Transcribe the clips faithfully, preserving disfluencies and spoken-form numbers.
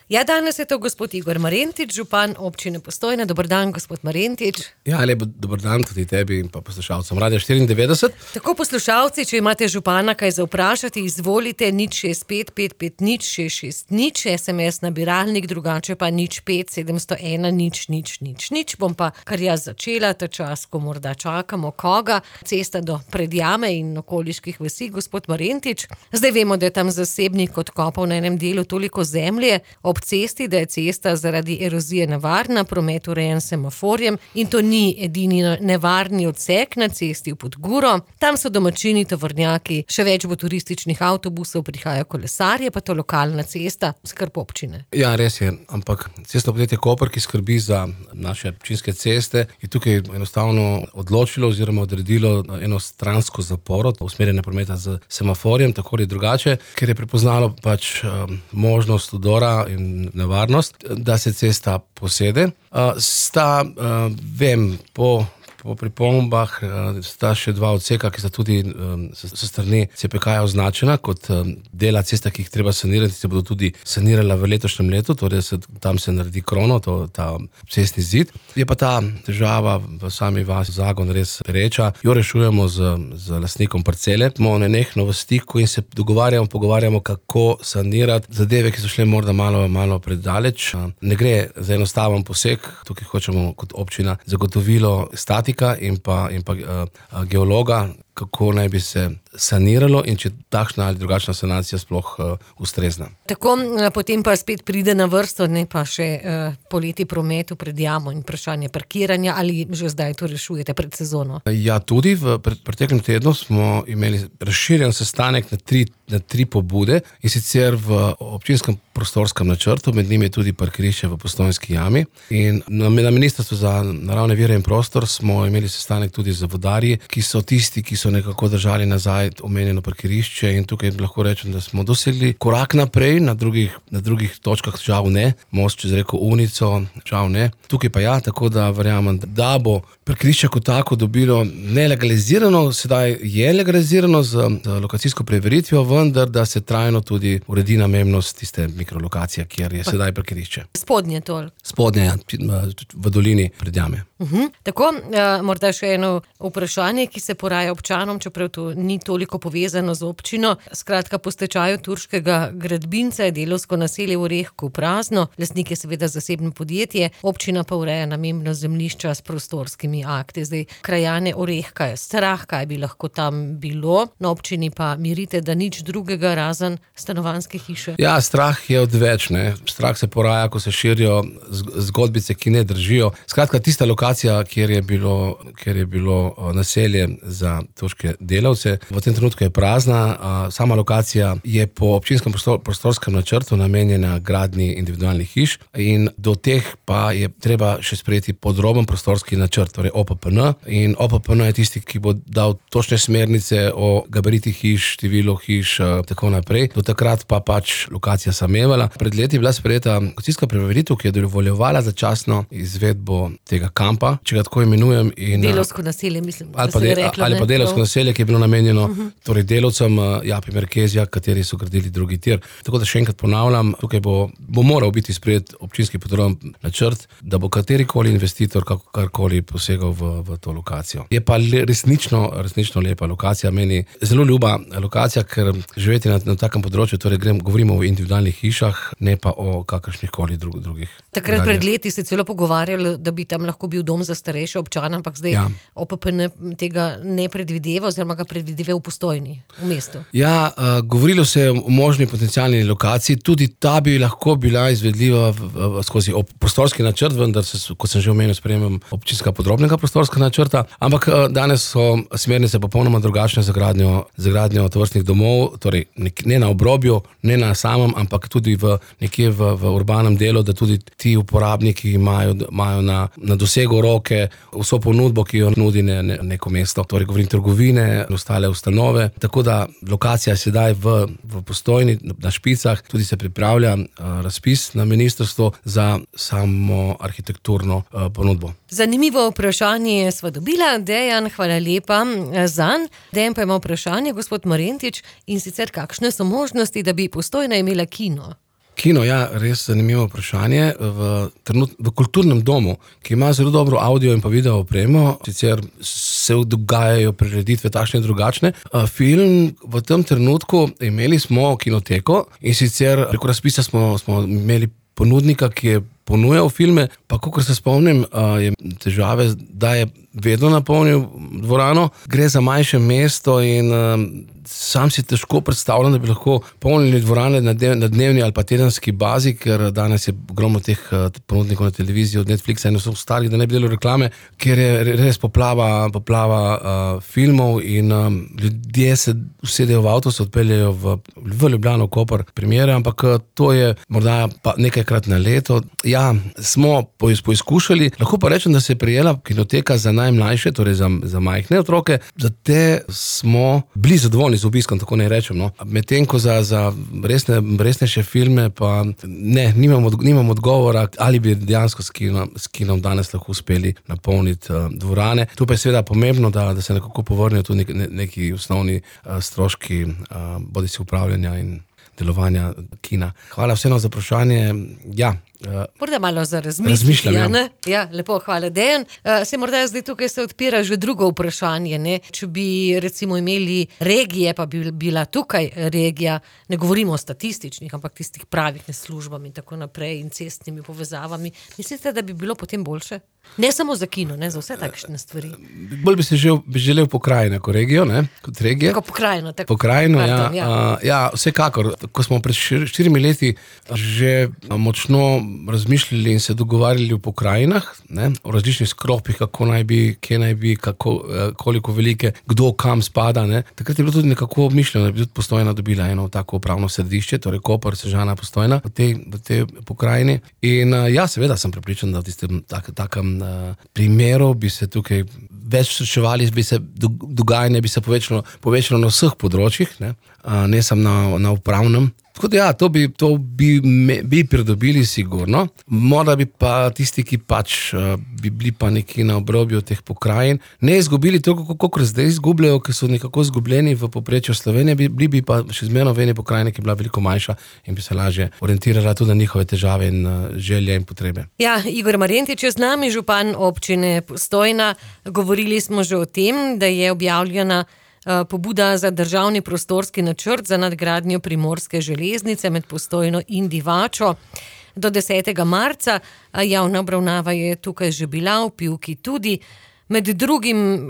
Ja, danes je to gospod Igor Marentič, župan občine Postojna. Dober dan, gospod Marentič. Ja, lep dober dan tudi tebi in pa poslušalcem Radia štiriindevetdeset. Tako poslušalci, če imate župana kaj za vprašati, izvolite nič šest pet pet pet nič šest šest nič, es em es nabiralnik, drugače pa nič pet sedemsto ena nič nič nič nič. Bom pa kar jaz začela, ta čas, ko morda čakamo koga. Cesta do Predjame in okoliških vasi, gospod Marentič. Zdaj vemo, da je tam zasebnik odkopal na enem delu toliko zemlje ob cesti, da je cesta zaradi erozije nevarna, promet urejen s semaforjem in to ni edini nevarni odsek na cesti v Podguro. Tam so domačini, tovornjaki, še več bo turističnih avtobusov, prihajajo kolesarje, pa to lokalna cesta, skrb občine. Ja, res je, ampak cestno podjetje Koper, ki skrbi za naše občinske ceste, je tukaj enostavno odločilo oziroma odredilo eno stransko zaporo, usmerjene prometa z semaforjem, tako ali drugače, ker je prepoznalo pač um, možnost udora in nevarnost, da se cesta posede. Uh, sta, uh, vem, po Po pripombah sta še dva odseka, ki sta tudi um, s strani C P K-ja označena kot um, dela cesta, ki jih treba sanirati, se bodo tudi sanirala v letošnjem letu, torej se, tam se naredi krono, to, ta cestni zid. Je pa ta težava v sami vasi Zagon res pereča, jo rešujemo z, z lastnikom parcele. Smo nenehno v stiku in se dogovarjamo, pogovarjamo, kako sanirati zadeve, ki so šle morda malo, malo predaleč. Ne gre za enostaven poseg, tukaj hočemo kot občina zagotovilo statika in pa, in pa uh, geologa, kako naj bi se saniralo in če takšna ali drugačna sanacija sploh uh, ustrezna. Tako, potem pa spet pride na vrsto, ne pa še uh, poleti prometu pred jamo in vprašanje parkiranja, ali že zdaj to rešujete pred sezono? Ja, tudi v pred, preteklem tednu smo imeli razširjen sestanek na tri, na tri pobude in sicer v občinskem prostorskem načrtu, med njimi je tudi parkirišče v Postojnski jami in na, na Ministrstvu za naravne vire in prostor smo imeli sestanek tudi z vodarji, ki so tisti, ki so nekako držali nazaj omenjeno parkirišče in tukaj lahko rečem, da smo dosegli korak naprej, na drugih, na drugih točkah žal ne, most čez reko Unico, žal ne. Tukaj pa ja, tako da verjamem, da bo parkirišče kot tako dobilo nelegalizirano, sedaj je legalizirano z, z lokacijsko preveritvijo, vendar da se trajno tudi uredi namembnost tiste mikrolokacije, kjer je sedaj parkirišče. Spodnje tol. Spodnje, v dolini Predjame. Uhum. Tako, uh, morda še eno vprašanje, ki se poraja občanom, čeprav to ni toliko povezano z občino. Skratka, po stečaju turškega gradbinca je delovsko naselje v Orehku prazno, lastnik je seveda zasebno podjetje, občina pa ureja namembno zemljišča s prostorskimi akti. Zdaj, krajane Orehka je strah, kaj bi lahko tam bilo, na občini pa mirite, da nič drugega razen stanovanjske hiše. Ja, strah je odveč, ne. Strah se poraja, ko se širijo zgodbice, ki ne držijo. Skratka, tista lokacija, kjer je bilo, kjer je bilo naselje za turške delavce, v tem trenutku je prazna. Sama lokacija je po občinskem prostor, prostorskem načrtu namenjena gradnji individualnih hiš in do teh pa je treba še sprejeti podroben prostorski načrt, torej O P P N. In O P P N je tisti, ki bo dal točne smernice o gabaritih hiš, številu hiš, tako naprej. Do takrat pa pač lokacija samevala. Pred leti je bila sprejeta lokacijska preveritev, ki je dovoljevala začasno izvedbo tega kampa, če ga tako imenujem. In, delovsko naselje, mislim, ali pa, de, rekla, ali pa delovsko naselje, ki je bilo namenjeno uh-huh. torej delavcem Japi Merkezija, kateri so gradili drugi tir. Tako da še enkrat ponavljam, tukaj bo, bo moral biti sprejet občinski podroben načrt, da bo katerikoli investitor karkoli posegal v, v to lokacijo. Je pa le, resnično, resnično lepa lokacija, meni zelo ljuba lokacija, ker živeti na, na takem področju, torej grem, govorimo o individualnih hišah, ne pa o kakršnihkoli drug, drugih. Takrat pred leti se celo pogovarjali, da bi tam lahko bil dom za starejše občane, ampak zdaj ja. O P P N tega ne predvideva oziroma ga predvideva v Postojni, v mestu. Ja, uh, govorilo se je o možni potencialni lokaciji, tudi ta bi lahko bila izvedljiva v, v, skozi prostorski načrt, vendar se, kot sem že omenil, sprejemam občinska podrobnega prostorska načrta, ampak uh, danes so smernice popolnoma drugačne za gradnjo, za gradnjo tovrstnih domov, torej nek, ne na obrobju, ne na samem, ampak tudi v, nekje v, v urbanem delu, da tudi ti uporabniki imajo, imajo na, na dosegu roke vso ponudbo, ki jo nudi ne, ne, neko mesto. Torej govorim trgovine, ostale ustanove, tako da lokacija je sedaj v, v Postojni, na Špicah, tudi se pripravlja uh, razpis na ministrstvu za samo arhitekturno uh, ponudbo. Zanimivo vprašanje sva dobila, Dejan, hvala lepa zanj. Dejan pa ima vprašanje, gospod Marentič, in sicer kakšne so možnosti, da bi Postojna imela kino? Kino, ja, res zanimivo vprašanje. V, trenut, v kulturnem domu, ki ima zelo dobro audio in pa video opremo, sicer se dogajajo prireditve takšne in drugačne. Film v tem trenutku imeli smo kinoteko in sicer preko razpisa smo, smo imeli ponudnika, ki je ponujal filme, pa kakor se spomnim, je težave, da je vedno napolnil dvorano. Gre za manjše mesto in sam si težko predstavljam, da bi lahko polnili dvorane na dnevni ali pa tedenski bazi, ker danes je ogromno teh ponudnikov na televiziji od Netflixa in vseh ostalih, da ne bi delal reklame, ker je res poplava, poplava uh, filmov in um, ljudje se usedejo v avto, se odpeljejo v, v Ljubljano, Koper, primere, ampak to je morda pa nekajkrat na leto. Ja, smo poizkušali, lahko pa rečem, da se je prijela kinoteka za najmlajše, torej za, za majhne otroke, za te smo bili zadovoljni z obiskom, tako ne rečem. No. Medtem ko za, za resne, resnejše filme pa ne, nimam, od, nimam odgovora, ali bi dejansko s kinom, s kinom danes lahko uspeli napolniti uh, dvorane. Tu pa je seveda pomembno, da, da se nekako povrnejo tudi neki, neki osnovni uh, stroški, uh, bodisi upravljanja in delovanja kina. Hvala vseeno za vprašanje. Ja, morda malo za razmišljati. Ja, ne? Ja, lepo, hvala, Dejan. Uh, se morda zdaj tukaj se odpira že drugo vprašanje. Ne? Če bi recimo imeli regije, pa bi bila tukaj regija, ne govorimo o statističnih, ampak tistih pravih službami in tako naprej in cestnimi povezavami, mislite, da bi bilo potem boljše? Ne samo za kino, ne, za vse takšne stvari. Bolj bi se žel, bi želel pokrajino kot regijo, ne, kot regije. Tako pokrajino, tako. Pokrajino, ja, ja. Uh, ja, vsekakor. Ko smo pred šir, štirimi leti že močno razmišljali in se dogovarjali o pokrajinah, ne, o različnih sklopih, kako naj bi, kje naj bi, kako, koliko velike, kdo kam spada, ne. Takrat je bilo tudi nekako mišljeno, da bi tudi Postojna dobila eno tako upravno središče, torej Koper, Sežana, Postojna v tej, v tej pokrajini. In uh, ja, seveda sem prepričan, da v tistem tak, takem primerov bi se tukaj več srečevali, bi se dogajanje bi se povečalo, povečalo na vseh področjih, ne, ne samo na, na upravnem. Tako da ja, to bi, to bi, me, bi pridobili sigurno. Morda bi pa tisti, ki pač bi bili pa neki na obrobju teh pokrajin, ne izgubili toliko, kot zdaj izgubljajo, ker so nekako izgubljeni v povprečju Slovenije, bi, bili bi pa še zmerno v eni pokrajini, ki je bila veliko manjša in bi se lažje orientirala tudi na njihove težave in želje in potrebe. Ja, Igor Marjentič je z nami, župan občine Postojna. Govorili smo že o tem, da je objavljena pobuda za državni prostorski načrt za nadgradnjo primorske železnice med Postojno in Divačo do desetega marca. Javna obravnava je tukaj že bila, v Pivki tudi. Med drugim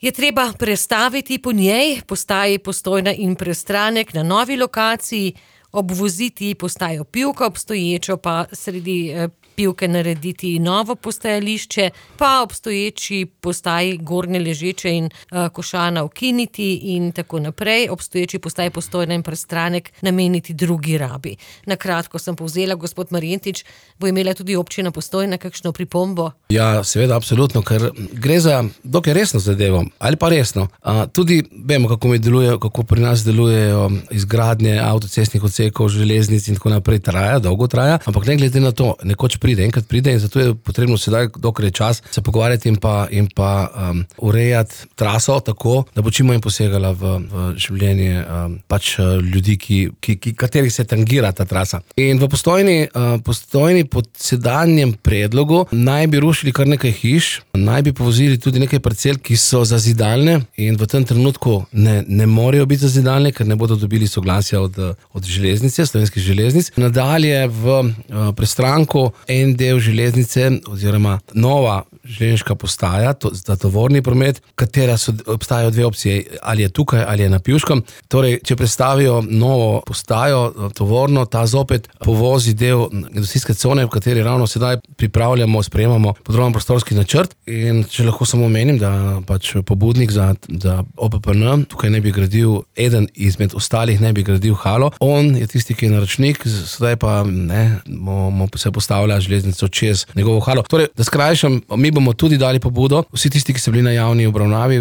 je treba prestaviti po njej postaji Postojna in Prestranek na novi lokaciji, obvoziti postajo Pivka, obstoječo pa sredi Pivke narediti novo postajališče, pa obstoječi postaji Gornje Ležeče in uh, Košana ukiniti in tako naprej, obstoječi postaji Postojna in Prestranek nameniti drugi rabi. Na kratko sem povzela, gospod Marjentič, bo imela tudi občina Postojna kakšno pripombo? Ja, seveda, absolutno, ker gre za dokaj resno zadevo, ali pa resno. Uh, tudi vemo, kako mi deluje, kako pri nas delujejo izgradnje avtocestnih odsekov, železnic in tako naprej, traja, dolgo traja, ampak ne glede na to, nekoč pride, enkrat pride in zato je potrebno sedaj, dokler je čas, se pogovarjati in pa, in pa um, urejati traso tako, da bo čim manj posegala v, v življenje um, pač ljudi, ki, ki, ki, katerih se tangira ta trasa. In v Postojni, uh, Postojni pod sedanjem predlogu naj bi rušili kar nekaj hiš, naj bi povozili tudi nekaj parcel, ki so zazidalne in v tem trenutku ne, ne morejo biti zazidalne, ker ne bodo dobili soglasja od, od železnice, slovenskih železnic. Nadalje v uh, Prestranku en del železnice oziroma nova železniška postaja to, za tovorni promet, katera so, obstajajo dve opcije, ali je tukaj ali je na Pivškem. Torej, če predstavijo novo postajo tovorno, ta zopet povozi del industrijske cone, v kateri ravno sedaj pripravljamo, sprejemamo podroben prostorski načrt. In če lahko samo omenim, da pač pobudnik za, za O P P N tukaj ne bi gradil, eden izmed ostalih ne bi gradil halo. On je tisti, ki je naročnik, sedaj pa ne, mo, mo se postavlja železnico čez njegovo halo. Torej, da skrajšam, mi bomo tudi dali pobudo, vsi tisti, ki so bili na javni obravnavi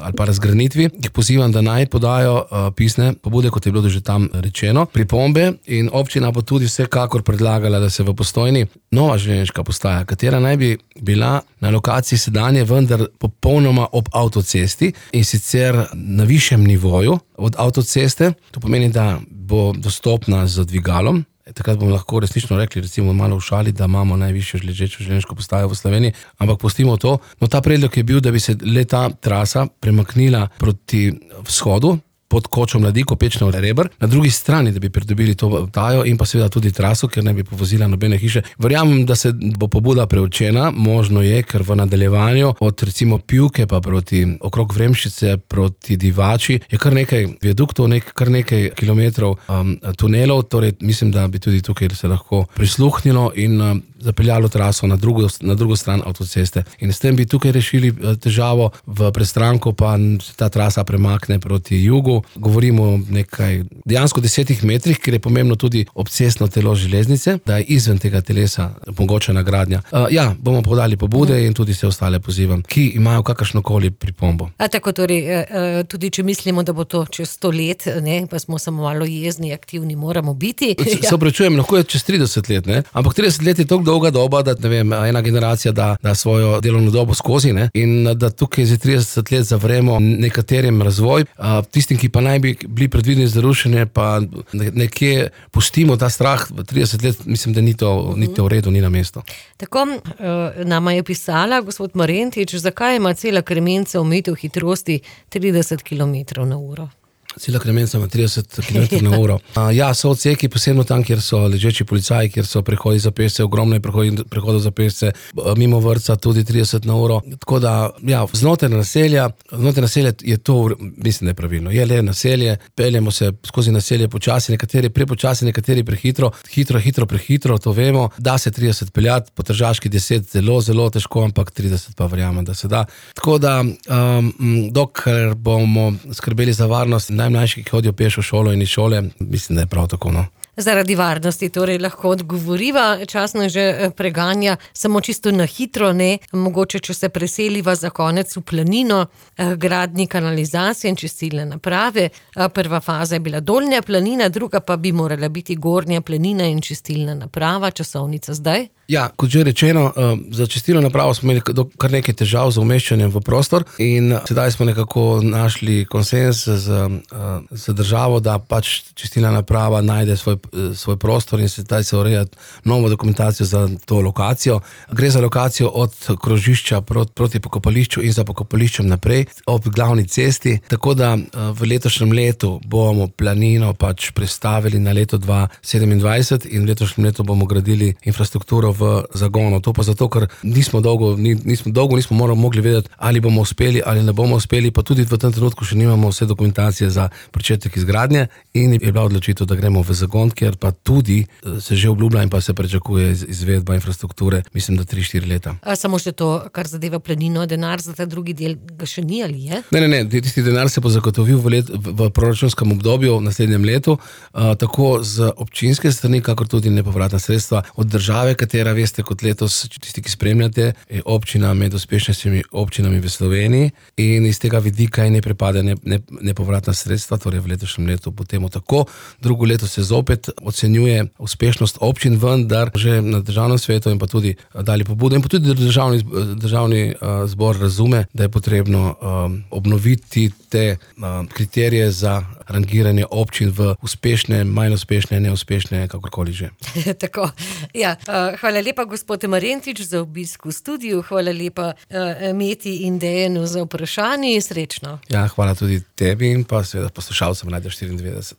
ali pa razgranitvi, jih pozivam, da naj podajo uh, pisne pobude, kot je bilo že tam rečeno, pripombe, in občina bo tudi vsekakor predlagala, da se v Postojni nova železniška postaja, katera naj bi bila na lokaciji sedanje, vendar popolnoma ob avtocesti in sicer na višjem nivoju od avtoceste. To pomeni, da bo dostopna z dvigalom. Takrat bomo lahko resnično rekli, recimo malo v šali, da imamo najvišjo ležečo železniško postajo v Sloveniji, ampak pustimo to. No, ta predlog je bil, da bi se le ta trasa premaknila proti vzhodu, pod kočo Mladiko, Pečno Reber, na drugi strani, da bi pridobili to postajo in pa seveda tudi traso, ker ne bi povozila nobene hiše. Verjamem, da se bo pobuda preučena, možno je, ker v nadaljevanju od recimo Pivke pa proti okrog Vremščice, proti Divači, je kar nekaj viaduktov, nek, kar nekaj kilometrov um, tunelov, torej mislim, da bi tudi tukaj se lahko prisluhnilo in um, zapeljalo traso na drugo, na drugo stran avtoceste. In s tem bi tukaj rešili težavo, v prestranko pa se ta trasa premakne proti jugu. Govorimo o nekaj dejansko desetih metrih, ker je pomembno tudi obcestno telo železnice, da je izven tega telesa omogočena gradnja. Uh, ja, bomo podali pobude in tudi se ostale pozivam, ki imajo kakršnokoli pripombo. A tako torej, tudi če mislimo, da bo to čez sto let, ne, pa smo samo malo jezni, aktivni moramo biti. Se opravičujem, lahko je čez trideset let, ne? Ampak trideset let je toliko dolga doba, da ne vem, ena generacija da, da svojo delovno dobo skozi, ne? In da tukaj za trideset let zavremo nekaterim razvoj, a tistim, ki pa naj bi bili predvideni za rušenje, pa nekje pustimo ta strah v trideset let, mislim, da ni to, ni to v redu, ni na mesto. Tako nama je pisala gospod Marentič, zakaj ima cela Kremenca omejitev hitrosti trideset kilometrov na uro? Cela Kremenca ima trideset kilometrov na uro. Ja, so odseki, posebno tam, kjer so ležeči policaji, kjer so prehodi za pešce, ogromno je prehodov za pešce, mimo vrtca tudi trideset na uro. Tako da, ja, znotraj naselja, znotraj naselja je to, mislim, nepravilno. Je le naselje, peljemo se skozi naselje počasi, nekateri prepočasi, nekateri prehitro, hitro, hitro, prehitro, to vemo. Da se trideset peljati, po tržaški deset zelo, zelo težko, ampak trideset pa verjamem, da se da. Tako da, um, dokler bomo skrbeli za varnost najmlajši, ki hodijo peš v šolo in iz šole, mislim, da je prav tako, no. Zaradi varnosti torej lahko odgovoriva, časno že preganja, samo čisto na hitro, ne, mogoče, če se preseliva za konec v planino, gradnji kanalizacije in čistilne naprave. Prva faza je bila Dolnja planina, druga pa bi morala biti Gornja planina in čistilna naprava, časovnica zdaj? Ja, kot že rečeno, za čistilno napravo smo imeli kar nekaj težav z umeščanjem v prostor in sedaj smo nekako našli konsens z, z državo, da pač čistilna naprava najde svoj, svoj prostor in sedaj se ureja novo dokumentacijo za to lokacijo. Gre za lokacijo od krožišča proti, proti pokopališču in za pokopališčem naprej ob glavni cesti, tako da v letošnjem letu bomo planino pač prestavili na leto dva tisoč sedemindvajset in v letošnjem letu bomo gradili infrastrukturo v zagonu. To pa zato, ker nismo dolgo, nismo dolgo nismo morali mogli vedeti, ali bomo uspeli ali ne bomo uspeli, pa tudi v tem trenutku še nimamo vse dokumentacije za pričetek izgradnje in je bila odločitev, da gremo v zagon, ker pa tudi se že obljublja in pa se pričakuje izvedba infrastrukture, mislim, da tri štiri leta. A samo še to, kar zadeva planino, denar za ta drugi del ga še ni ali je? Ne, ne, ne, tisti denar se bo zagotovil v, let, v proračunskem obdobju v naslednjem letu, uh, tako z občinske strani, kakor tudi nepovratna sredstva od države, katera veste, kot letos, tisti, ki spremljate, je občina med uspešnejšimi občinami v Sloveniji in iz tega vidika je ne pripade ne, ne, nepovratna sredstva, torej v letošnjem letu bo temu tako. Drugo leto se zopet ocenjuje uspešnost občin, vendar že na državnem svetu in pa tudi dali pobudo in pa tudi državni, državni uh, zbor razume, da je potrebno um, obnoviti te uh, kriterije za rangiranje občin v uspešne, manj uspešne, neuspešne, kakorkoli že. Tako, ja. Hvala lepa, gospod Marentič, za obisk v studiu, hvala lepa uh, Meti in Dejanu za vprašanje, srečno. Ja, hvala tudi tebi in pa seveda poslušalcem Radia štiriindevetdeset.